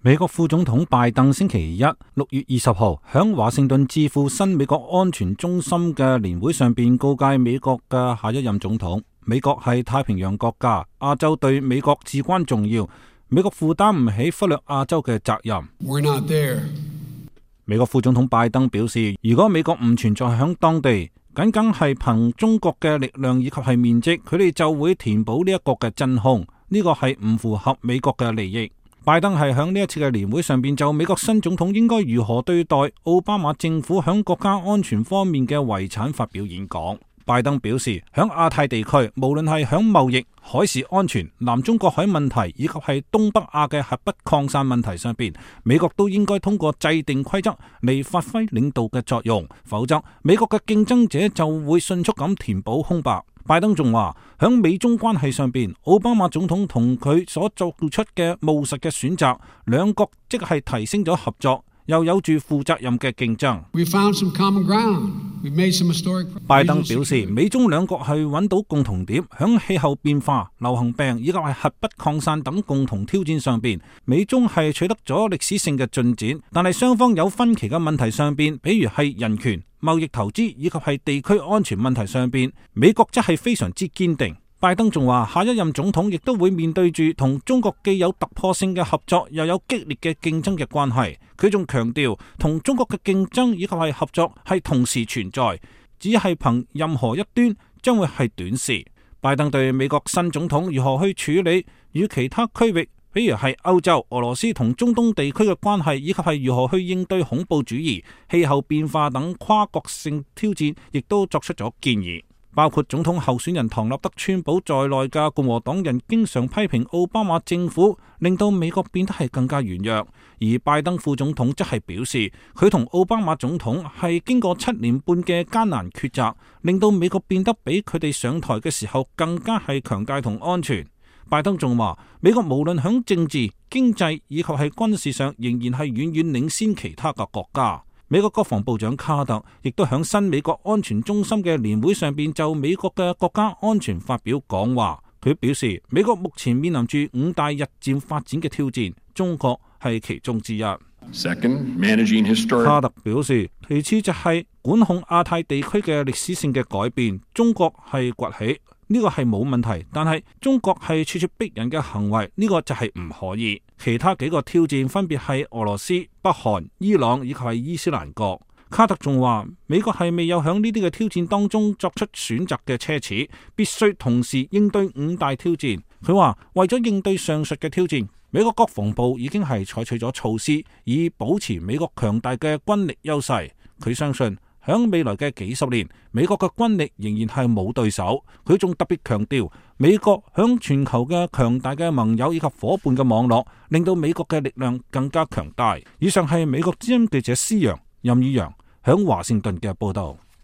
美國副總統拜登星期一6月20號響華盛頓智庫新美國安全中心嘅年會上邊告誡美國嘅下一任總統，美國係太平洋國家，亞洲對美國至關重要，美國負擔唔起忽略亞洲嘅責任。We're not there. 美國副總統拜登表示，如果美國唔存在響當地，僅僅係憑中國嘅力量以及係面積，佢哋就會填補呢一個嘅真空，呢個係唔符合美國嘅利益。拜登係響呢一次嘅年會上邊就美國新總統應該如何對待奧巴馬政府響國家安全方面嘅遺產發表演講。拜登表示，響亞太地區，無論係響貿易、海事安全、南中國海問題以及係東北亞嘅核不擴散問題上邊，美國都應該通過制定規則嚟發揮領導嘅作用，否則美國嘅競爭者就會迅速咁填補空白。拜登仲話，響美中關係上邊，奧巴馬總統同佢所做出嘅務實嘅選擇，兩國即係提升咗合作，又有住負責任嘅競爭。拜登表示，美中兩國係揾到共同點，響氣候變化、流行病以及係核不擴散等共同挑戰上邊，美中係取得咗歷史性嘅進展，但係雙方有分歧嘅問題上邊，比如係人權、貿易投資以及係地區安全問題上邊，美國則係非常之堅定。拜登仲話，下一任總統亦都會面對住同中國既有突破性嘅合作，又有激烈嘅競爭嘅關係。佢仲強調，同中國嘅競爭以及係合作係同時存在，只係憑任何一端將會係短視。拜登對美國新總統如何去處理與其他區域，比如係歐洲、俄羅斯同中東地區嘅關係，以及係如何去應對恐怖主義、氣候變化等跨國性挑戰，亦都作出咗建議。包括總統候選人唐納德·川普在內嘅共和黨人經常批評奧巴馬政府，令到美國變得係更加軟弱。而拜登副總統則係表示，佢同奧巴馬總統係經過7年半嘅艱難抉擇，令到美國變得比佢哋上台嘅時候更加係強大同安全。拜登仲話，美國無論響政治、經濟以及係軍事上，仍然係遠遠領先其他嘅國家。美國國防部長卡特亦都響新美國安全中心嘅年會上邊就美國嘅國家安全發表講話。佢表示，美國目前面臨住5大日漸發展嘅挑戰，中國係其中之一。卡特表示，其次就係管控亞太地區嘅歷史性嘅改變，中國係崛起，呢個係冇問題，但係中國係處處逼人嘅行為，呢個就係唔可以。其他幾個挑戰分別係俄羅斯、北韓、伊朗以及係伊斯蘭國。卡特仲話，美國係未有響呢啲嘅挑戰當中作出選擇嘅奢侈，必須同時應對5大挑戰。佢話，為咗應對上述嘅挑戰，美國國防部已經係採取咗措施，以保持美國強大嘅軍力優勢。佢相信，響未來嘅幾十年，美國嘅軍力仍然係冇對手。佢仲特別強調，美國響全球嘅強大嘅盟友以及伙伴嘅網絡，令到美國嘅力量更加強大。以上係美國之音記者施陽、任宇陽響華盛頓嘅報道。